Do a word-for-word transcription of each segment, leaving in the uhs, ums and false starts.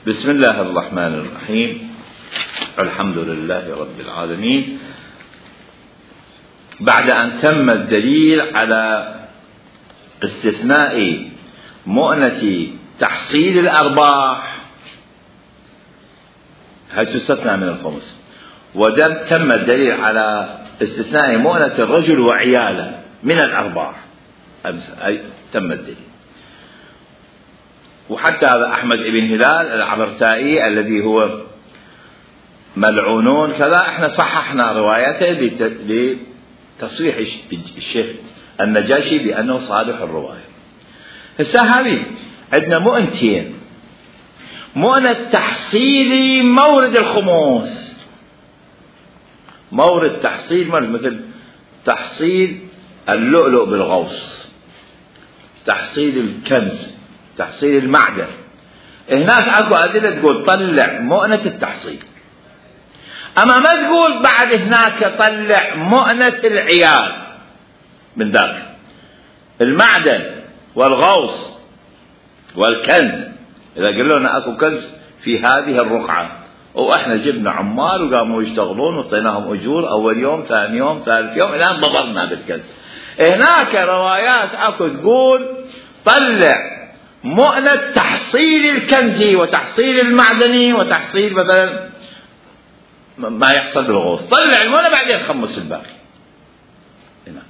بسم الله الرحمن الرحيم. الحمد لله رب العالمين. بعد أن تم الدليل على استثناء مؤنة تحصيل الأرباح هل تستثنى من الخمس، وتم الدليل على استثناء مؤنة الرجل وعياله من الأرباح، أي تم الدليل. وحتى هذا أحمد بن هلال العبرتائي الذي هو ملعونون كذا، احنا صححنا روايته لتصريح الشيخ النجاشي بأنه صالح الرواية. هسه هذه عندنا مؤنتين: مؤنة تحصيل مورد الخموس، مورد تحصيل مثل تحصيل اللؤلؤ بالغوص، تحصيل الكنز، تحصيل المعدن. هناك اكو أدلة تقول طلع مؤنة التحصيل، اما ما تقول بعد هناك طلع مؤنة العيال من ذاك المعدن والغوص والكنز. اذا قالوا لنا اكو كنز في هذه الرقعة واحنا جبنا عمال وقاموا يشتغلون وعطيناهم اجور اول يوم ثاني يوم ثالث يوم الان ضبطنا بالكنز، هناك روايات اكو تقول طلع مؤنة تحصيل الكنز وتحصيل المعدني وتحصيل مثلا ما يحصل بالغوص، طلع المؤنة بعدين خمس الباقي. هناك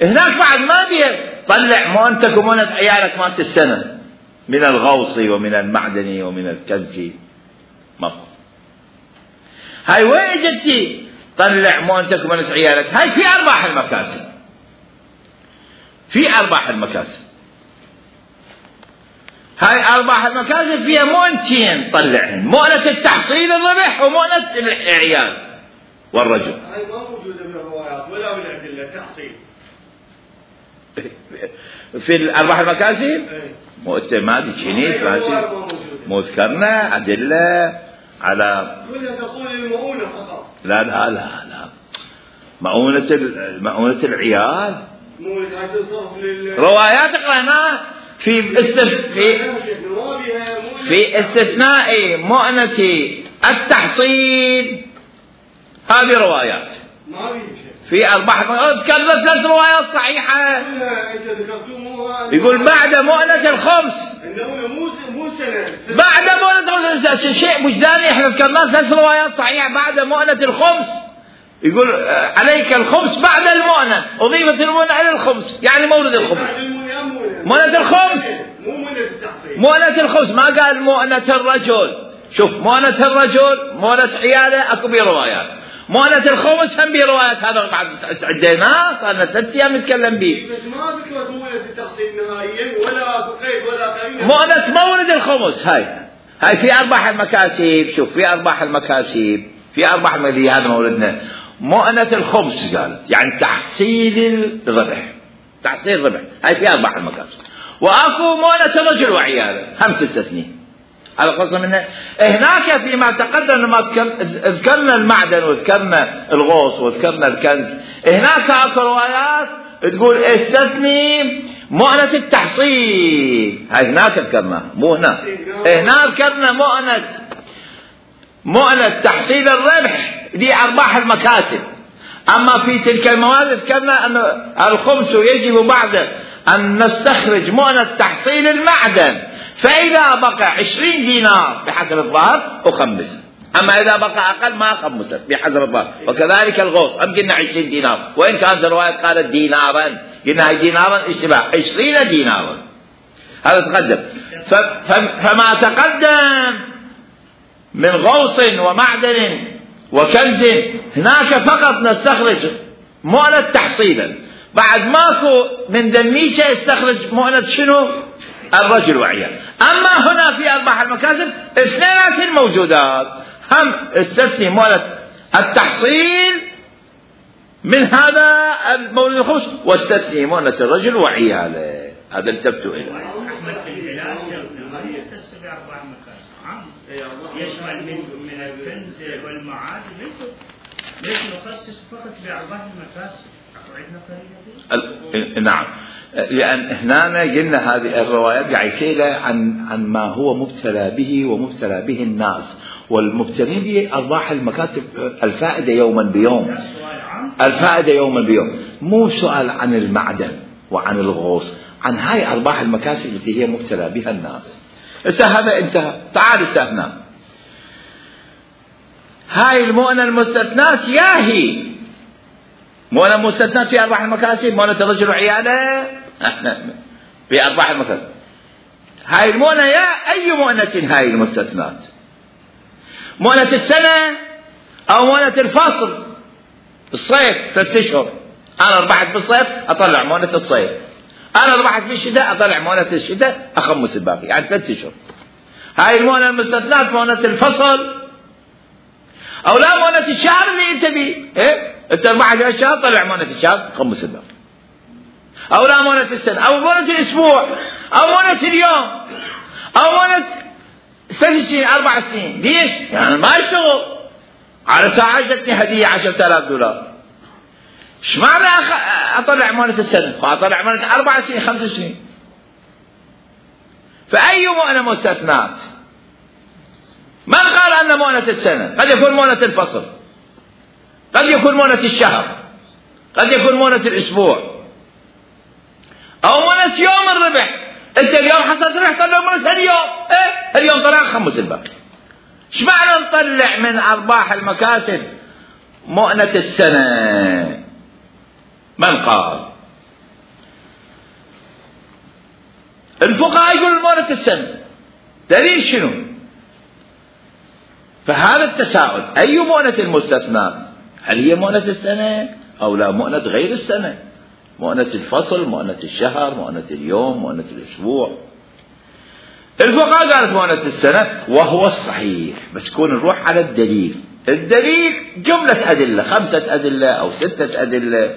هناك بعد ما بيه طلع مؤنتك ومؤنة عيالك مالت السنة من الغوص ومن المعدني ومن الكنز. مفهوم؟ هاي وين جتي طلع مؤنتك ومؤنة عيالك؟ هاي في أرباح المكاسب، في أرباح المكاسب. هاي أرباح المكاسب فيها مؤنتين طلعهن: مؤنة التحصيل الربح ومؤنة العيال والرجل. هاي ما موجودة بالروايات ولا بالأدلة. التحصيل في الأرباح المكاسب مؤتة ما دي شنيس مو ذكرنا أدلة على كلها تقول المؤونة فقط. لا لا لا لا مؤونة مؤونة العيال روايات قرأناها في استف... في في استثناء مؤنة التحصيل. هذه روايات في أرباح. ذكرنا ثلاث روايات صحيحة. يقول بعد مؤنة الخمس، بعد مؤنة الخمس شيء وجداني. احنا ذكرنا ثلاث روايات صحيحة بعد مؤنة الخمس. يقول عليك الخمس بعد المؤنة، أضيفت المؤنة على الخمس يعني مورد الخمس. مؤنة الخمس مؤنة الخمس، ما قال مؤنة الرجل. شوف مؤنة الرجل مؤنة عياله اكو بيه روايات، مؤنة الخمس هم بيه روايات. هذا بعد عديناه صار لنا ثلاث ايام نتكلم به. بس ما ذكرت مؤنة التحصيل نهائيا ولا قيد ولا قرينة. مؤنة مورد الخمس هاي هاي في ارباح المكاسب. شوف في ارباح المكاسب، في ارباح المالية. هذا موردنا مؤنة الخمس قال يعني تحصيل الربح، تحصيل الربح هاي في ارباح المكاسب. واكو مؤنة الرجل وعياله هم تستثني. على قصة منه هناك فيما تقدم لما ذكرنا المعدن وذكرنا الغوص وذكرنا الكنز، هناك اكو روايات تقول استثني مؤنة التحصيل. هاي هناك ذكرنا مو هنا. هنا ذكرنا مؤنة مؤنة تحصيل الربح دي ارباح المكاسب. اما في تلك المواد ذكرنا ان الخمس يجب بعد أن نستخرج مؤنة تحصيل المعدن، فإذا بقى عشرين دينار بحسب الظاهر أخمسه، أما إذا بقى أقل ما أخمسه بحسب الظاهر. وكذلك الغوص أم قلنا عشرين دينار، وإن كانت الرواية قالت دينارا، قلنا هاي دينارا اشتباه عشرين دينارا. هذا تقدم. فما تقدم من غوص ومعدن وكنز هناك فقط نستخرج مؤنة تحصيلا. بعد ماكو من دنيشة يستخرج مؤنة شنو؟ الرجل وعيال. أما هنا في أرباح المكاسب اثنين موجودات، هم استثني مؤنة التحصيل من هذا المولد الخمس واستثني مؤنة الرجل وعياله. هذا التبتو إليه. أحمد الهلال يختص بأرباح المكاسب يشمل من من الكنز والمعادن، ليس ليس يخصص فقط بأرباح المكاسب. نعم، لأن هنا قلنا هذه الروايات قاعد يسأل عن عن ما هو مبتلى به ومبتلى به الناس، والمبتلين به أرباح المكاتب الفائدة يوما بيوم، الفائدة يوما بيوم، مو سؤال عن المعدن وعن الغوص، عن هاي أرباح المكاسب التي هي مبتلى بها الناس. هسه هذا انتهى. تعال هسه هنا هاي المؤنة المستثنات ياهي مؤنة مستثنات في أرباح المكاسب، مؤنة الرجل وعياله في أرباح المكاسب. هاي المؤنة يا أي مؤنة هاي المستثنات؟ مؤنة السنة أو مؤنة الفصل؟ الصيف ثلاثة أشهر، أنا ربحت بالصيف أطلع مؤنة الصيف، أنا ربحت بالشتاء أطلع مؤنة الشتاء أخمس الباقي، يعني ثلاثة أشهر. هاي المؤنة المستثنات مؤنة الفصل أو لا مؤنة الشهر اللي أنت بيه، إيه؟ أنت ربحت الشهر طلع مؤنة الشهر خمس الباقي، أو لا مؤنة السنة أو مؤنة الأسبوع أو مؤنة اليوم أو مؤنة ثلاث سنين أربع سنين. ليش؟ يعني ما يشتغل على ساعة جتني هدية عشرة آلاف دولار، ايش معنى أخ... أطلع مؤنة السنة؟ أطلع مؤنة أربع سنين خمس سنين. فأي مؤنة مستثنات؟ من قال أن مؤنة السنة؟ قد يكون مؤنة الفصل، قد يكون مؤنة الشهر، قد يكون مؤنة الأسبوع، أو مؤنة يوم الربح. أنت اليوم حصلت ربح طلع مؤنة اليوم، إيه؟ اليوم طلع خمس الباقي. ايش معنى نطلع من أرباح المكاسب مؤنة السنة؟ من قال؟ الفقهاء يقولون مؤنة السنة، دليل شنو؟ فهذا التساؤل، أي مؤنة المستثنات؟ هل هي مؤنة السنة أو لا مؤنة غير السنة؟ مؤنة الفصل، مؤنة الشهر، مؤنة اليوم، مؤنة الأسبوع. الفقهاء قالت مؤنة السنة وهو الصحيح، بس كون نروح على الدليل. الدليل جملة أدلة، خمسة أدلة أو ستة أدلة.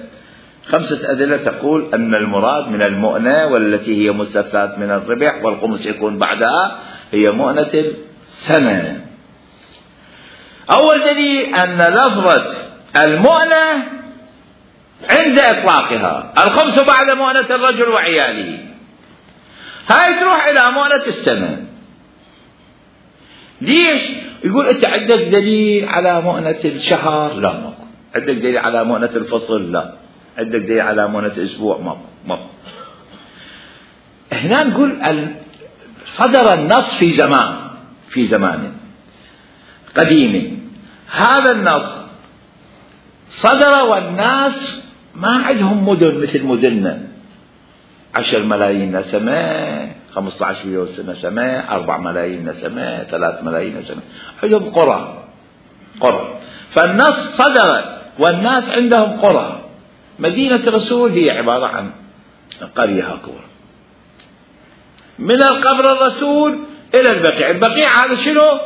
خمسة أدلة تقول أن المراد من المؤنة والتي هي مستثنات من الربح والخمس يكون بعدها هي مؤنة السنة. أول دليل أن لفظة المؤنة عند إطلاقها الخمس بعد مؤنة الرجل وعياله، هاي تروح إلى مؤنة السنة. ليش؟ يقول أنت عندك دليل على مؤنة الشهر؟ لا ماكو. عندك دليل على مؤنة الفصل؟ لا. عندك دليل على مؤنة الأسبوع؟ ماكو ماكو. هنا نقول صدر النص في زمان في زمان قديم، هذا النص صدر والناس ما عندهم مدن مثل مدننا، عشر ملايين نسمة، خمسة عشر مليون نسمة، أربع ملايين نسمة، ثلاث ملايين نسمة، عندهم قرى قرى. فالنص صدر والناس عندهم قرى. مدينة الرسول هي عبارة عن قرية هكذا، من القبر الرسول إلى البقيع. البقيع هذا شنو؟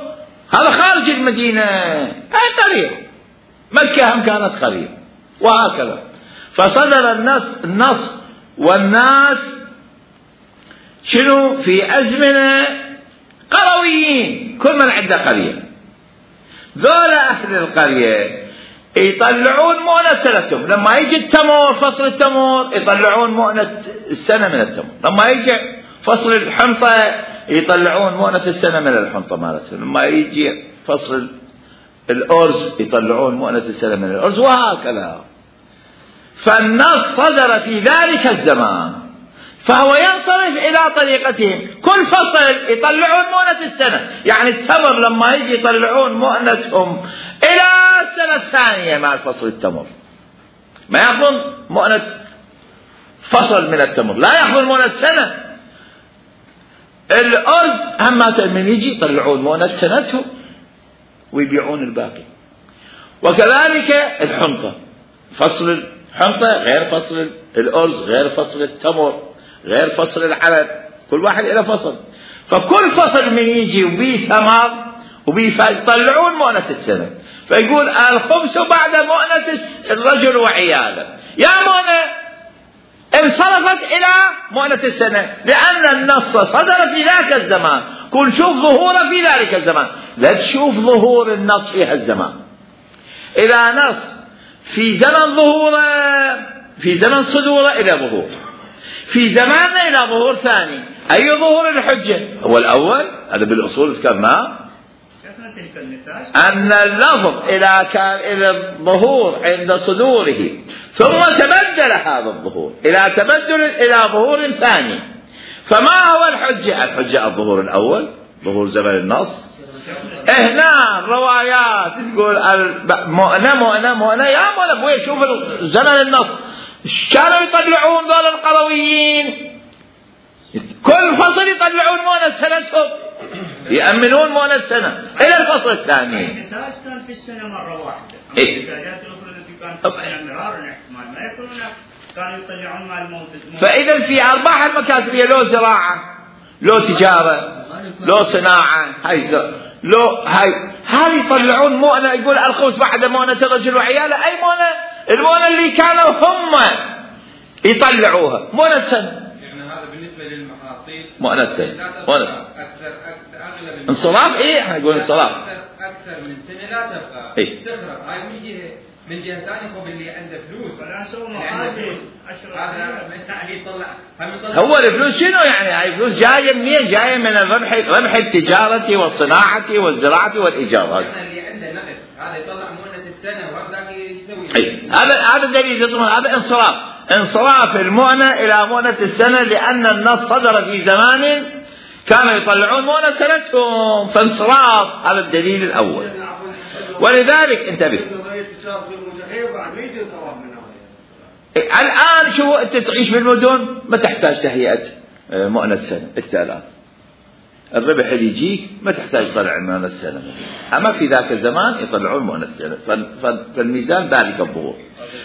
هذا خارج المدينة، هاي قرية. مكة هم كانت قرية، وهكذا. فصدر النص النص والناس شنو في أزمنة قرويين، كل من عنده قرية. ذولا أهل القرية يطلعون مؤنة سنتهم، لما يجي التمر فصل التمر يطلعون مؤنة السنة من التمر، لما يجي فصل الحنطة يطلعون مؤنة السنة من الحنطة مالتهم، لما يجي فصل الأرز يطلعون مؤنة السنة من الأرز، وهكذا. فالنص صدر في ذلك الزمان، فهو ينصرف إلى طريقتهم. كل فصل يطلعون مؤنة السنة، يعني التمر لما يجي يطلعون مؤنتهم إلى السنة الثانية مع فصل التمر، ما يأخذون مؤنة فصل من التمر، لا يأخذون مؤنة سنة. الأرز هم من يجي يطلعون مؤنة سنتهم ويبيعون الباقي. وكذلك الحنطة، فصل الحنطة غير فصل الأرز، غير فصل التمر، غير فصل العلف، كل واحد إلى فصل. فكل فصل من يجي وبيه ثمر وبيه يطلعون مؤنة السنة. فيقول الخمس بعد مؤنة الرجل وعياله، يا مؤنة انصرفت إلى مؤنة السنة، لأن النص صدر في ذاك الزمان. كن شوف ظهوره في ذلك الزمان، لا تشوف ظهور النص في هالزمان. إذا نص في زمن ظهوره في زمن صدوره إلى ظهور، في زماننا إلى ظهور ثاني. أي ظهور الحجة؟ هو الأول، هذا بالأصول ذكرناه، أن اللفظ إلى كان إلى الظهور عند صدوره ثم تبدل هذا الظهور إلى تبدل إلى ظهور ثاني. فما هو الحجة؟ الحجة الظهور الأول، ظهور زمن النص. هنا الروايات تقول مؤنة مؤنة مؤنة، يا مؤنة ابوي شوف زمن النص كانوا يطلعون ذول القرويين كل فصل يطلعون مؤنة سنتهم، يأمنون مؤنة السنة إلى الفصل الثاني. النتاج كان في السنة مرة واحدة. إيه؟ النتاجات الأخرى التي كانت في السنة مرار الاحتمال ما يكونون كانوا يطلعون مع الموت. فإذا في أرباح المكاسبية لو زراعة، لو تجارة، لو صناعة، هاي لو هاي هاي يطلعون مؤنة. يقول الخمس بعد مؤنة الرجل وعياله، أي مؤنة؟ المؤنة اللي كانوا هم يطلعوها مؤنة سنة. يعني هذا بالنسبة للمحاصيل مؤنة سنة، مؤنة أكثر أغلب انصراف. إيه احنا نقول انصراف أكثر من سنة لا تبقى. إيه؟ تخرب. هاي من جهة من جهة ثانية هو اللي عنده فلوس. ولا سووا محاسب. هذا من تأكيد طلع. هو الفلوس شنو يعني؟ هاي فلوس جاية منين؟ جاية من الربح، ربح التجارة والصناعة والزراعة والإيجار. اللي عنده نقد هذا يطلع مؤنة السنة وهذا يسوي. أي هذا هذا الدليل، هذا انصراف، انصراف المؤنة إلى مؤنة السنة، لأن النص صدر في زمان كانوا يطلعون مؤنة سنتهم، فانصراف. هذا الدليل الأول. ولذلك انتبه الآن شو أنت تعيش بالمدن ما تحتاج تهيئة مؤنة سنة. أنت الآن الربح اللي يجيك ما تحتاج تطلع مؤنة سنة، أما في ذاك الزمان يطلعون مؤنة سنة، فالميزان ذلك الظهور.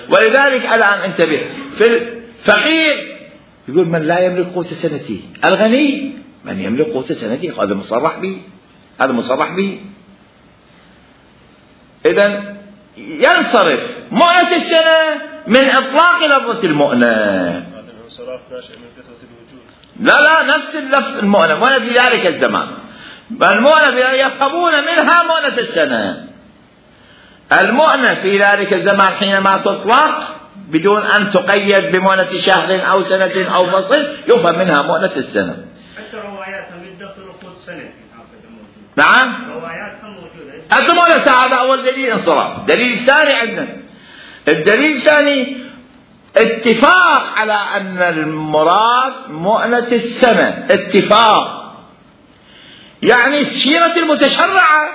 ولذلك الآن انتبه، في الفقير يقول من لا يملك قوت سنته، الغني من يملك قوت سنته، هذا مصرح به، هذا مصرح به. إذن ينصرف مؤنة السنة من إطلاق لفظة المؤنة. هذا الانصراف ناشئ من كثرة الوجود. لا لا نفس اللفظ المؤنة، مؤنة في ذلك الزمان، المؤنة يفهمون منها مؤنة السنة. المؤنة في ذلك الزمان حينما تطلق بدون أن تقيد بمؤنة شهر أو سنة أو فصل يفهم منها مؤنة السنة. حتى رواياتهم يدخلوا قوت سنة. نعم. رواياتهم موجودة. المؤنة هذا أول دليل انصراف. دليل ثاني عندنا، الدليل الثاني اتفاق على أن المراد مؤنة السنة، اتفاق يعني السيرة المتشرعة،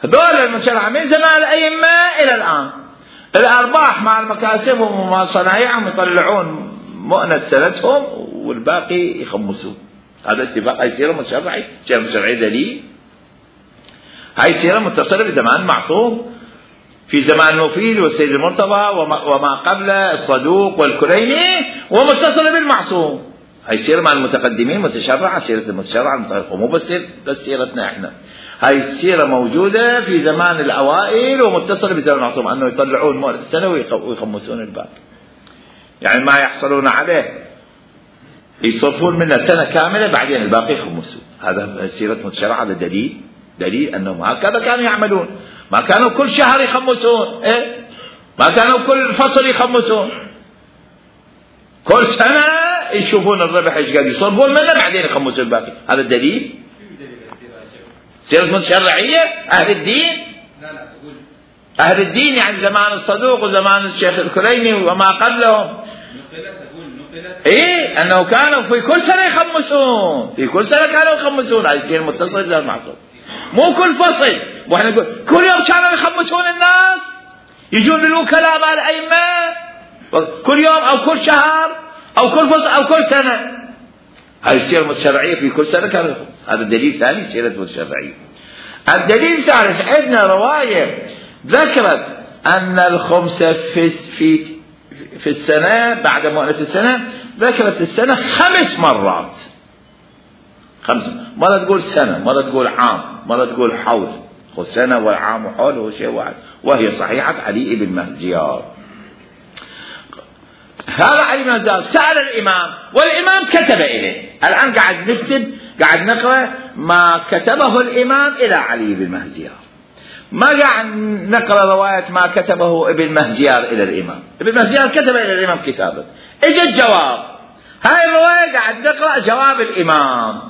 هذول المتشرعة من زمان الأئمة إلى الآن، الأرباح مع المكاسب ومع صنايعهم يطلعون مؤنة سنتهم والباقي يخمسون. هذا اتفاق. هاي سيرة متشرعة، سيرة متشرعة دليل. هاي سيرة متصلة بزمان معصوم، في زمان نوفيل والسيد المرتضى وما قبله الصدوق والكليني، ومتصلة بالمعصوم. هاي سيرة مع المتقدمين متشرعة، سيرة المتشرعة المتشرعة، مو بس بس سيرتنا احنا. هاي السيرة موجودة في زمان الأوائل ومتصلة بزمان المعصوم، أنه يطلعون مؤنة السنة ويخمسون الباقي، يعني ما يحصلون عليه يصرفون منه سنة كاملة بعدين الباقي يخمسون. هذا سيرة متشرعة. هذا دليل، دليل أنهم هكذا كانوا يعملون، ما كانوا كل شهر يخمسون، إيه؟ ما كانوا كل فصل يخمسون، كل سنة يشوفون الربح ايش قاعد يصرفون منه بعدين يخمسون الباقي. هذا الدليل. سيرة متشرعية أهل الدين، أهل الدين يعني زمان الصدوق وزمان الشيخ الكليني وما قبلهم. إيه أنه كانوا في كل سنة يخمسون، في كل سنة كانوا يخمسون. هذه السيرة متصلة بالمعصوم، مو كل فصل. واحنا نقول كل يوم كانوا يخمسون الناس، يجون للوكلاء مع الأئمة كل يوم أو كل شهر أو كل فصل أو كل سنة. هذه السيرة المتشرعية في كل سنة كانوا يخمسون. هذا دليل ثاني، سيرة متشرعية. الدليل الثالث عندنا رواية ذكرت أن الخمس في في في السنة بعد مؤنة السنة، ذكرت السنة خمس مرات، خمسة. مرة تقول سنة، مرة تقول عام، مرة تقول حول. خذ سنة والعام وحول هو شيء واحد، وهي صحيحة علي بن مهزيار. هذا علي بن مهزيار سأل الإمام والإمام كتب إليه. الآن قاعد نكتب، قاعد نقرأ ما كتبه الإمام إلى علي بن مهزيار. ما قاعد نقرأ رواية ما كتبه ابن مهجيار إلى الإمام. ابن مهجيار كتب إلى الإمام كتابا، إجا الجواب. هاي الرواية قاعد نقرأ جواب الإمام.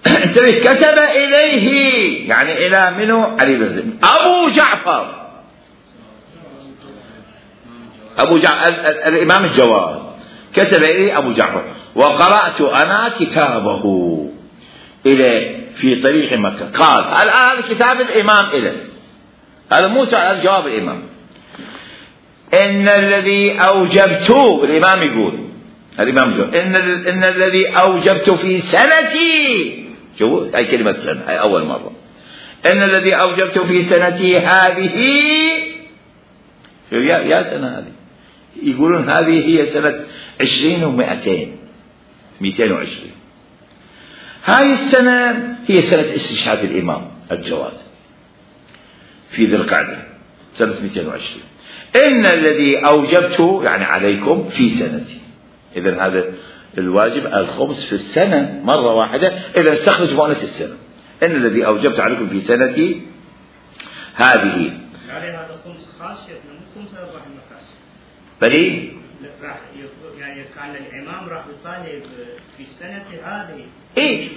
انتبه، كتب إليه يعني إلى منو؟ علي بن زيد. أبو جعفر أبو جعفر الإمام الجواد كتب إليه أبو جعفر، وقرأت أنا كتابه إلى في طريق مكة. قال الآن كتاب الإمام إليه، هذا موسى على جواب الإمام. إن الذي أوجبت، الإمام يقول الإمام يقول إن, إن الذي أوجبت في سنتي، شوفوا هاي كلمة سنة، هاي أول مرة. إن الذي أوجبت في سنتي هذه، يا يا سنة هذه، يقولون هذه هي سنة عشرين ومئتين، مئتين وعشرين. هاي السنة هي سنة استشهاد الإمام الجواد في ذي القعدة سنة مئتين وعشرين. إن الذي أوجبته يعني عليكم في سنتي. إذن هذا الواجب الخمس في السنة مرة واحدة إذا استخرج مؤنث السنة. إن الذي أوجبت عليكم في سنتي هذه. يعني هذا خمس خاص من خمس أرباح المكاسب. بلي؟ راح يعني كان الإمام راح يطالب في السنة هذه. إيه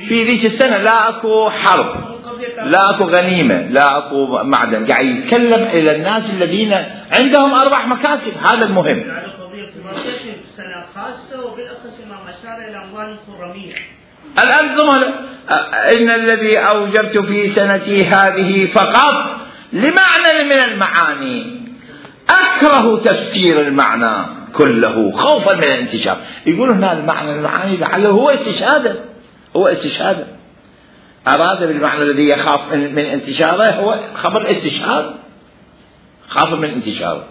في ذيك السنة لا أكو حرب، لا أكو غنيمة، لا أكو معدن، قاعد يتكلم إلى الناس الذين عندهم أرباح مكاسب. هذا المهم. يعني قضية سنة خاصة وبالأخص ما أشار إلى أموال الخرمية. الآن ضمن إن الذي أوجبت في سنتي هذه فقط لمعنى من المعاني، أكره تفسير المعنى كله خوفا من الانتشار. يقول هنا المعنى المعاني لعله هو استشهاده، هو استشهاده، أراد بالمعنى الذي يخاف من, من انتشاره هو خبر استشهاد، خاف من انتشاره.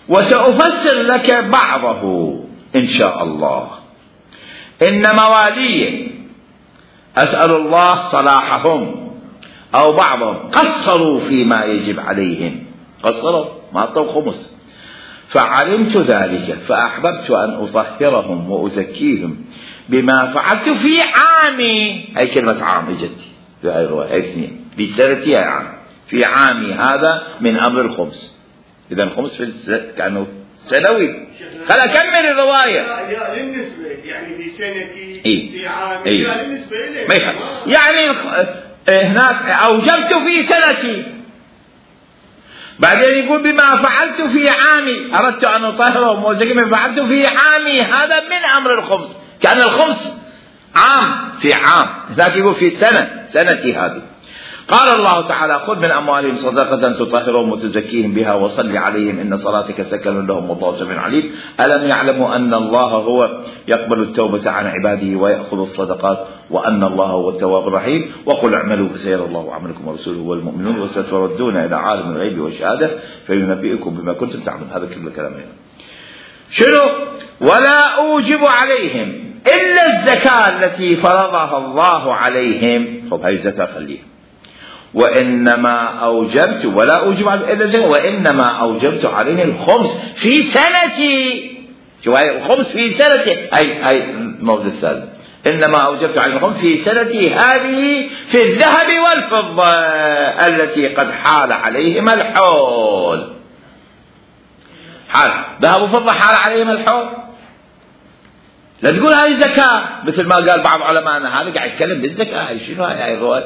وسأفسر لك بعضه إن شاء الله. إن موالي أسأل الله صلاحهم أو بعضهم قصروا فيما يجب عليهم، قصروا ما أعطوا خمس، فعلمت ذلك فأحببت أن أطهرهم وأزكيهم بما فعلت في عامي. هاي كلمة عام اجت في هاي الرواية اثنين، بسنتي هاي عام، في عامي هذا من أمر الخمس. إذا الخمس في كانوا سنوي. خل أكمل الرواية. يا للنسبة يعني في سنتي إيه؟ في عامي إيه؟ يا للنسبة إليه يعني هناك أوجبت في سنتي، بعدين يقول بما فعلت في عامي، أردت أن أطهرهم وأزكيهم فعلت في عامي، هذا من أمر الخمس، كان الخمس عام في عام، هناك يقول في سنة، سنتي هذه. قال الله تعالى خذ من أموالهم صدقة تطهرهم وتزكيهم بها وصل عليهم إن صلاتك سكن لهم والله سميع عليم. ألم يعلموا أن الله هو يقبل التوبة عن عباده ويأخذ الصدقات وأن الله هو التواب الرحيم. وقل اعملوا فسيرى الله عملكم ورسوله والمؤمنون وستردون إلى عالم الغيب والشهادة فينبئكم بما كنتم تعملون. هذا كل الكلام هنا. شنو؟ ولا أوجب عليهم إلا الزكاة التي فرضها الله عليهم. طب هاي الزكاة خليها. وإنما أوجبت ولا أوجب عليهم إلا الزكاة وإنما أوجبت عليهم الخمس في سنتي. شو هاي الخمس في سنتي؟ هاي هاي الموضوع الثالث. إنما أوجبت عليهم الخمس في سنتي هذه في الذهب والفضة التي قد حال عليهم الحول. حال ذهب وفضة حال عليهم الحول. لا تقول هاي زكاة مثل ما قال بعض علمائنا، هذا قاعد يتكلم بالزكاة. هاي شنو هاي الرواية؟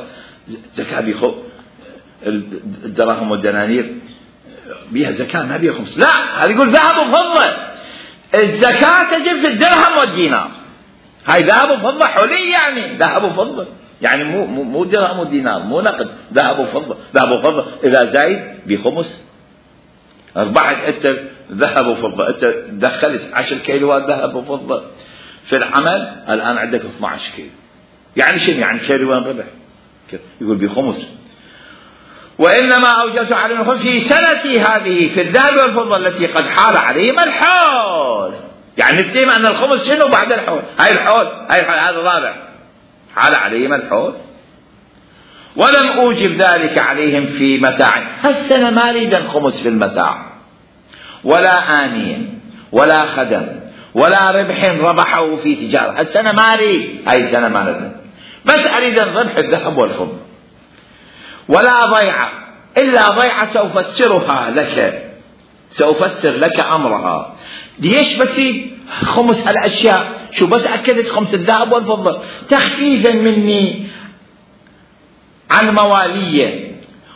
زكاة بيخو الدراهم والدنانير بيها زكاة ما بيها خمس. لا، هذا يقول ذهب وفضة. الزكاة تجب في الدرهم والدينار. هاي ذهب وفضة حلي، يعني ذهب وفضة، يعني مو مو درهم ودينار، مو نقد، ذهب وفضة. ذهب وفضة إذا زايد بخمس. أربعة أنت ذهب وفضة، أنت دخلت عشر كيلوات ذهب وفضة في العمل، الآن عندك اثنا عشر كيلو، يعني شنو؟ يعني كيلوان ربح. يقول بخمس. وإنما أوجبت عليهم الخمس في سنتي هذه في الذهب والفضة التي قد حال عليهم الحول. يعني نفتهم أن الخمس شنو بعد الحول؟ هاي الحول، هاي الحول هذا رابع، حال عليهم الحول. ولم أوجب ذلك عليهم في متاع. هالسنة ما أريد الخمس في المتاع ولا آنية ولا خدم ولا ربح ربحه في تجارة. هالسنة ما أريد، هاي السنة ما أريد، بس أريد الربح الذهب والفضة. ولا ضيعة إلا ضيعة سأفسرها لك، سأفسر لك أمرها. ليش بس خمس هالأشياء؟ شو بس أكدت خمس الذهب والفضة تخفيفا مني عن موالية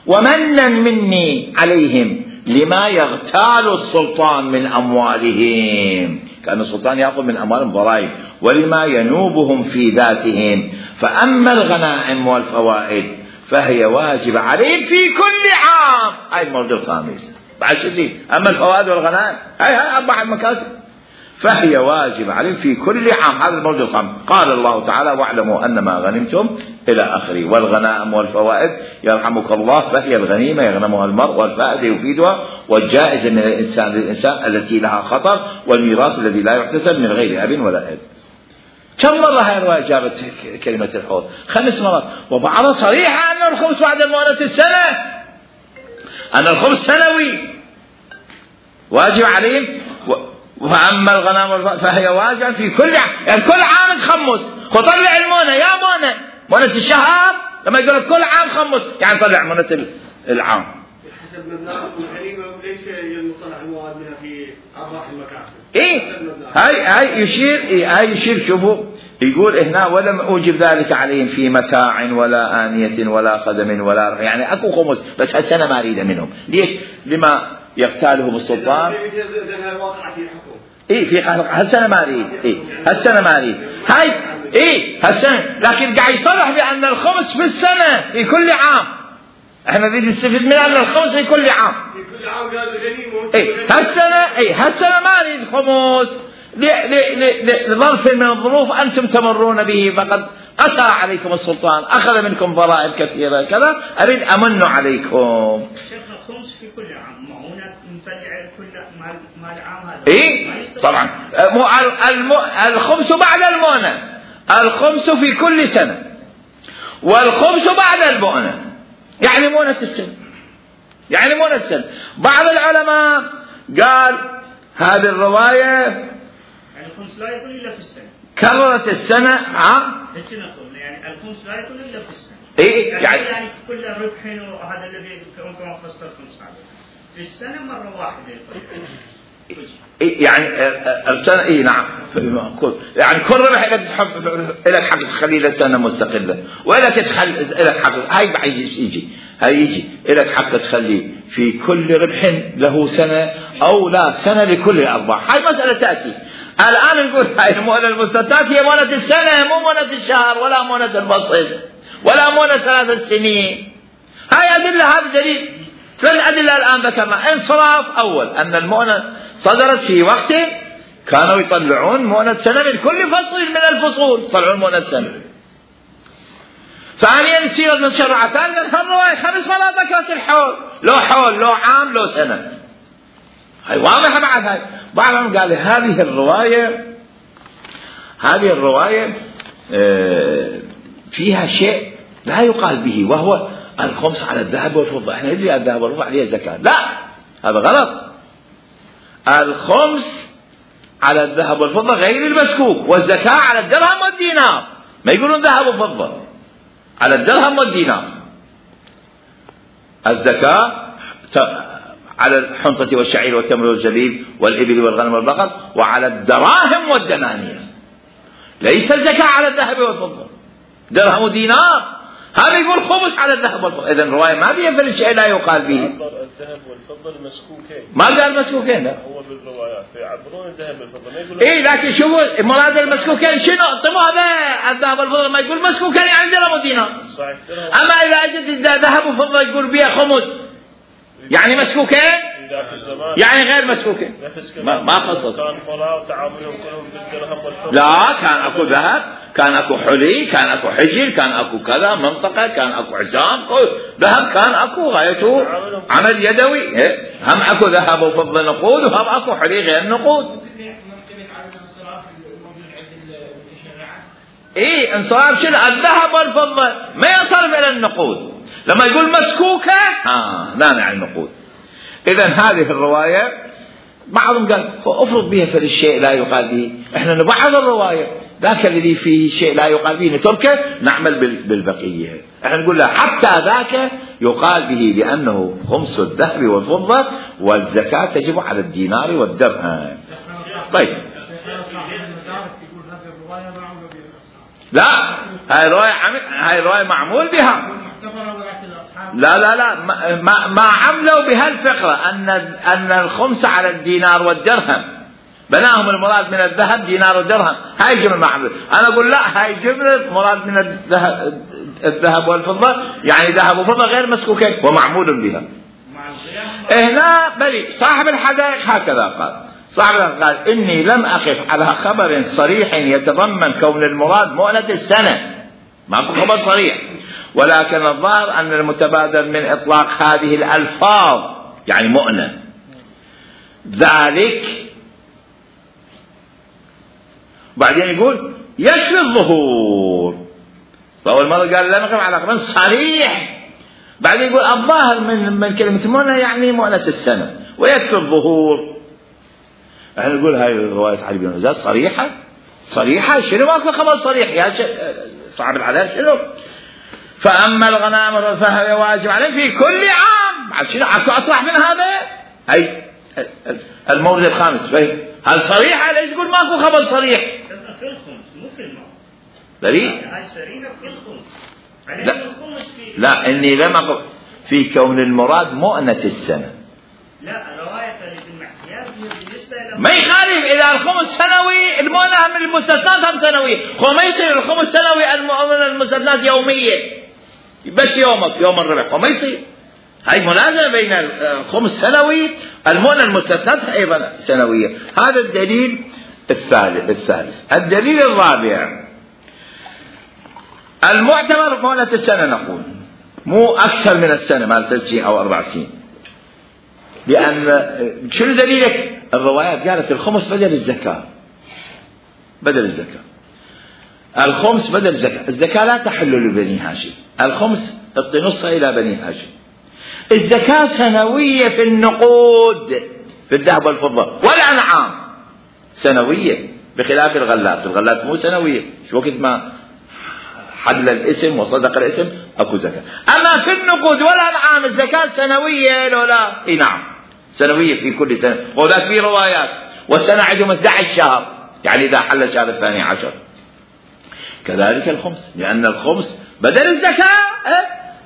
ومنا مني عليهم لما يغتال السلطان من أموالهم، كان السلطان يأخذ من أموالهم ضرائب، ولما ينوبهم في ذاتهم. فأما الغنائم والفوائد فهي واجب عليهم في كل عام. هاي المورد الخامس بعد شدي. أما الفوائد والغنائم هاي هاي أربع المكاسب فهي واجب عليهم في كل عام. هذا المورد الخامس. قال الله تعالى واعلموا أن ما غنمتم إلى آخره. والغنائم والفوائد يرحمك الله فهي الغنيمة يغنمها المرء، والفائدة يفيدها، والجائزة من الإنسان للإنسان التي لها خطر، والميراث الذي لا يحتسب من غير أب ولا أب. كم مرة هاي الرواية جابت كلمة الحوض؟ خمس مرات، وبعضها صريحة أن الخمس بعد المؤونة السنة، أن الخمس سنوي واجب عليهم. وأما الغنم فهي واجب في كل عام، يعني كل عام تخمس. وطلع المونة يا مونة مونة الشهر لما يقول كل عام خمس، يعني طلع مونة العام حسب مبناء الغنيمة، ليس المصطلح المواد منها في أرباح المكاسب. إيه هاي هاي يشير إيه هاي يشير شوفوا يقول هنا ولم أوجب ذلك عليهم في متاع ولا آنية ولا خدم ولا رح. يعني أكو خمس بس هالسنة ما أريد منهم. ليش؟ لما يقتالهم السلطان. إيه في هالسنة ما أريد. إيه هالسنة ما أريد. هاي إيه هالسنة، لكن قاعد يصرح بأن الخمس في السنة في كل عام. احنا نريد نستفيد من أن الخمس في كل عام. في كل عام قال الغنيمة. إيه هالسنة إيه هالسنة ما أريد خمس لظرف من الظروف أنتم تمرون به، فقد قسى عليكم السلطان، أخذ منكم ضرائب كثيرة كذا، أريد أمن عليكم. شيخ الخمس في كل عام معونة مفلع كل مال مال عام هذا. إيه طبعا الخمس بعد المؤنة، الخمس في كل سنة، والخمس بعد المؤنة، يعني مؤنة السنة، يعني مؤنة السنة. بعض العلماء قال هذه الرواية يعني الخمس لا يكون إلا في السنة، كررت السنة. ها يعني الخمس لا يكون إلا في السنة. إيه يعني, يعني كل ربح وهذا الذي كما فسر الخمس في السنة مرة واحدة. إيه يعني السنة إيه نعم يعني كل ربح لك تحب لك حق تخلي له سنة مستقلة، ولا تتخلي لك حق هاي بعد يجي هاي يجي لك حق تخلي في كل ربح له سنة أو لا سنة لكل الأرباح. هاي مسألة تأتي الآن. نقول هاي المؤونة المستثنات هي مؤونة السنة، مو مؤونة الشهر ولا مؤونة الفصل ولا مؤونة ثلاث سنين. هاي أدلة، هذا دليل. ثلاث أدلة الآن ذكرنا. انصراف أول أن المؤونة صدرت في وقت كانوا يطلعون مؤونة سنة من كل فصل من الفصول، يطلعون مؤونة سنة. ثانيا يصير من شرعتان من هالرواية خمس مرات ذكرت الحول، لو حول لو عام لو سنة. هاي واضحة بعد. هاي بعضهم قال هذه الرواية هذه الرواية فيها شيء لا يقال به، وهو الخمس على الذهب والفضة. احنا ندري الذهب والفضة عليه زكاة، لا هذا غلط. الخمس على الذهب والفضة غير المسكوك، والزكاة على الدرهم والدينار. ما يقولون ذهب وفضة، على الدرهم والدينار. الزكاة على الحنطة والشعير والتمر والزبيب والإبل والغنم والبقر، وعلى الدراهم والدنانير. ليس الزكاة على الذهب والفضة، درهم ودينار. هذا يقول خمس على الذهب والفضة. إذن الرواية ما فيها في الشيء لا يقال به. الذهب والفضة المسكوكين، ما قال مسكوكين، لا هو بالروايات فيعبرون الذهب والفضة ما يقولون. إيه لكن شوفوا مراد المسكوكين شنو؟ طب هذا الذهب والفضة ما يقول مسكوكين يعني درهم ودينار. صحيح. أما إذا أجد ذهب وفضة يقول بها خمس يعني مسكوكين، يعني غير مسكوكين. ما ما خصص. كان فراغ تعاملهم كلهم بالدرهم والفضة. لا كان أكو ذهب، كان أكو حلي، كان أكو حجر، كان أكو كذا منطقة، كان أكو عزام، ذهب كان أكو غايته عمل يدوي. هم أكو ذهب وفضة نقود، وهم أكو حلي غير نقود. إيه انصراف شنو؟ الذهب والفضة ما ينصرف إلى النقود. لما يقول مسكوكة ها لا يعني النقود. إذن هذه الرواية بعضهم قال افرض بها فالشيء لا يقال به، احنا نبعض الرواية، ذاك الذي فيه شيء لا يقال به نتركه نعمل بالبقية. احنا نقول له حتى ذاك يقال به لأنه خمس الذهب والفضة والزكاة تجب على الدينار والدرهم. طيب لا، هاي رواية هاي رواية معمول بها. لا لا لا ما ما عملوا بها الفقرة أن أن الخمس على الدينار والدرهم، بناهم المراد من الذهب دينار ودرهم، هاي جملة ما عملوا. أنا أقول لا، هاي جملة مراد من الذهب الذهب والفضة، يعني ذهب وفضة غير مسكوكين ومعمول بها. هنا بلي صاحب الحدائق هكذا قال، صاحب قال إني لم أقف على خبر صريح يتضمن كون المراد مؤنة السنة، ماكو خبر صريح، ولكن الظاهر أن المتبادر من إطلاق هذه الألفاظ يعني مؤنة ذلك. بعدين يقول يكفي الظهور، فأول مرة قال لا نقف على خبر صريح، بعدين يقول الظاهر من من كلمة مؤنة يعني مؤنة السنة ويكفي الظهور. احنا نقول هاي رواية علي بن زياد صريحة صريحة شنو ماكو خبر صريح يا صعب العذاب شنو؟ فأما الغنائم فهي واجب عليه في كل عام. شنو اكو اصلح من هذا؟ هاي المورد الخامس فهم هل صريحة؟ ليش تقول ماكو خبر صريح؟ في الخمس مو في المال. دليل؟ هاي صريحة في الخمس. لا لا إني لم أقل في كون المراد مؤنة السنة. لا رواية المحسيات بالنسبة إلى ما يخالف إذا الخمس سنوي المؤنة من المستثنات هم سنوية، هو ما يصير الخمس سنوي المؤنة المستثنات يومية بس يومك يوم الربع، هو ما يصير. هاي منازعة بين الخمس سنوي المؤنة المستثنات أيضا سنوية. هذا الدليل الثالث. الثالث الدليل الرابع المعتبر مؤنة السنة، نقول مو أكثر من السنة مال ثلاث سنين أو أربع سنين، لأن شنو دليلك؟ الروايات قالت الخمس بدل الزكاة، بدل الزكاة الخمس بدل الزكاة. الزكاة لا تحل لبني هاشم، الخمس تعطي نصها إلى بني هاشم. الزكاة سنوية في النقود في الذهب والفضة والأنعام سنوية، بخلاف الغلات، الغلات مو سنوية، شو وقت ما حل الاسم وصدق الاسم اكو زكاة. اما في النقود والانعام الزكاة سنوية لو لا؟ اي نعم سنوية في كل سنة، وذاك في روايات والسنة عندهم احد عشر شهر، يعني اذا حل الشهر الثاني عشر. كذلك الخمس، لان الخمس بدل الزكاة،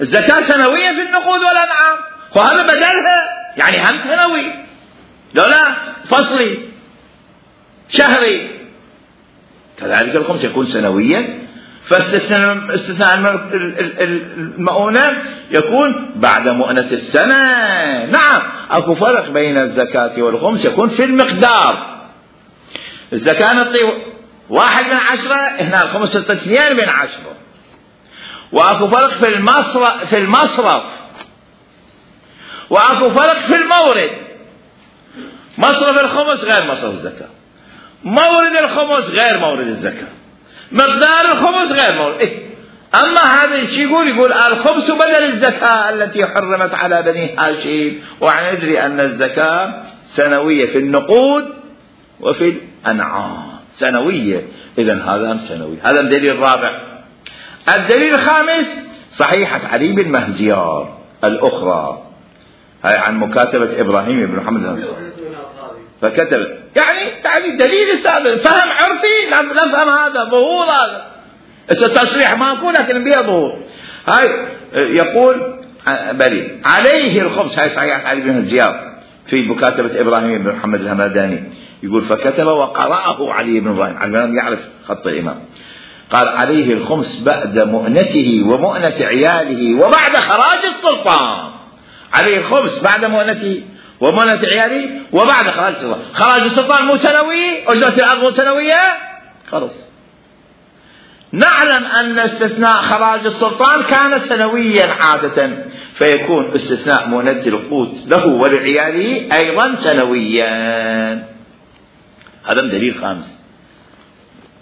الزكاة سنوية في النقود والانعام، وهذا بدلها يعني هم سنوي لو لا فصلي شهري. كذلك الخمس يكون سنويا، فاستثناء المؤونة يكون بعد مؤنة السنة. نعم اكو فرق بين الزكاة والخمس، يكون في المقدار. الزكاة نعطي واحد من عشرة، هنا الخمس اثنين من عشرة. واكو فرق في المصرف في المصرف واكو فرق في المورد. مصرف الخمس غير مصرف الزكاة، مورد الخمس غير مورد الزكاة، مقدار الخمس غير مورد. إيه؟ أما هذا الشيء يقول يقول الخمس بدل الزكاة التي حرمت على بني هاشم، وندري أن الزكاة سنوية في النقود وفي الأنعام سنوية، إذن هذا سنوي. هذا الدليل الرابع. الدليل الخامس صحيحة علي بن مهزيار الأخرى، هاي عن مكاتبة إبراهيم بن محمد فكتب، يعني يعني دليل السابق فهم عرفي، لا فهم هذا ظهور، هذا التصريح ما أقول لكن بها ظهور. هاي يقول بلي عليه الخمس، هاي صحيح علي بن زياد في مكاتبة إبراهيم بن محمد الهمداني، يقول فكتب وقرأه علي بن إبراهيم، على يعرف خط الإمام، قال عليه الخمس بعد مؤنته ومؤنة عياله وبعد خراج السلطان. عليه الخمس بعد مؤنته ومؤنة عياله وبعد خراج السلطان. خراج السلطان مو سنوي، أجرة الأرض مو سنوية، خلص. نعلم أن استثناء خراج السلطان كان سنويا عادة، فيكون استثناء مؤنة القوت له ولعياله أيضا سنويا. هذا دليل خامس.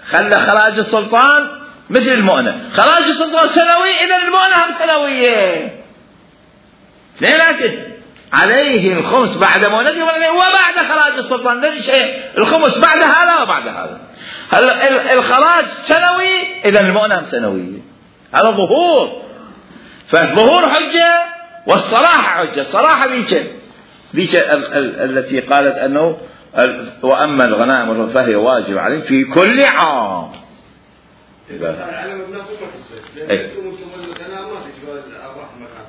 خلى خراج السلطان مثل المؤنة، خراج السلطان سنوي، إذا المؤنة هم سنوية. اثنيناتهم عليه الخمس بعد مولده وبعد خراج السلطان. لا شيء الخمس بعد هذا وبعد هذا. هلا الخراج سنوي، إذا المؤنة سنوية. هذا ظهور، فالظهور حجة والصراحة حجة. الصراحة ذيك ذيك التي قالت أنه وأما الغنائم فهي واجب عليهم في كل عام.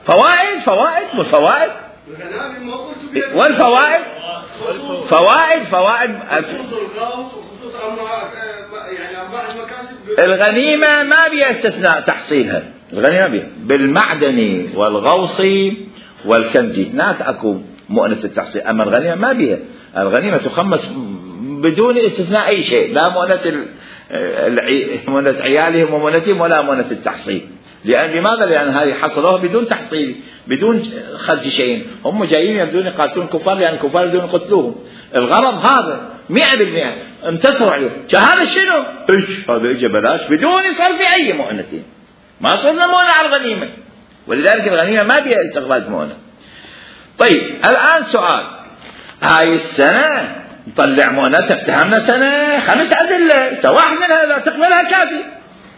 فوائد فوائد والفوائد والفوائد فوائد فوائد الغنيمة ما بيها استثناء تحصيلها. الغنيمة بيها بالمعدني والغوصي والكنزي نات أكو مؤنة التحصيل. أما الغنيمة ما بيها. الغنيمة تخمس بدون استثناء أي شيء، لا مؤنة مؤنة عيالهم ومؤنتهم ولا مؤنة التحصيل. لأن لماذا؟ لأن هذه حصلوها بدون تحصيل بدون خرج شيء. هم جايين يبدون يقاتلون الكفار لأن الكفار يبدون يقتلوهم. الغرض هذا مئة بالمئة انتصروا عليه. هذا شنو؟ ايش هذا اجى بلاش بدون صرف أي مؤنتين. ما صرنا مؤنة على الغنيمة، ولذلك الغنيمة ما بيها استخراج مؤنة. طيب الآن سؤال، هاي السنة نطلع مؤنة افتهمنا سنة خمس أدلة، سواء من هذا تقبلها كافي،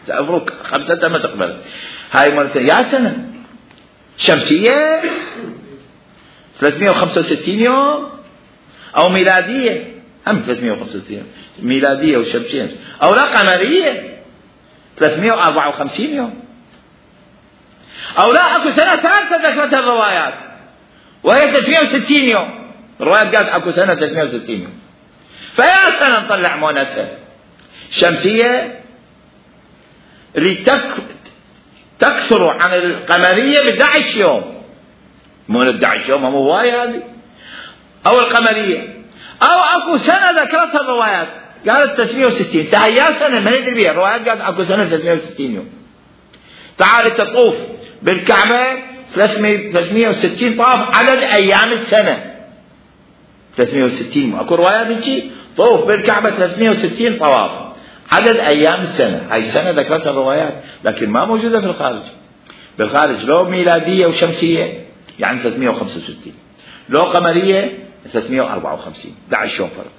سأفرق خمسة ما تقبل. هاي مرة يا سنة شمسية ثلاثمئة وخمسة وستين يوم أو ميلادية، هم ثلاثمئة وخمسة وستين ميلادية وشمسية، أو لا قمرية ثلاثمئة وأربعة وخمسين يوم، أو لا أكو سنة ثالثة ذكرتها الروايات وهي ثلاثمئة وستين يوم. الروايات قالت أكو سنة ثلاثمئة وستين يوم. فيا سنة نطلع مؤنثة شمسية اللي تك... تكثر عن القمرية ب أحد عشر يوم، مو أحد عشر يوم مو هواية هذه، أو القمرية، أو أكو سنة ذكرتها الروايات قالت ثلاثمئة وستين. سهيا سنة ما ندري بها، الروايات قالت أكو سنة ثلاثمئة وستين يوم. تعال تطوف بالكعبة ثلاثمئة وستين طواف عدد أيام السنة ثلاثمئة وستين. أكو روايات هيك طوف بالكعبة ثلاثمئة وستين طواف عدد أيام السنة. هاي السنة ذكرتها الروايات لكن ما موجودة في الخارج. بالخارج لو ميلادية وشمسية يعني ثلاثمئة وخمسة وستين، لو قمرية ثلاثمئة وأربعة وخمسين. أحد عشر يوم فرق.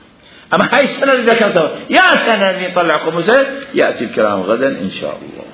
أما هاي السنة اللي ذكرتها يا سنة اللي نطلع خمسة يأتي الكلام غدا إن شاء الله.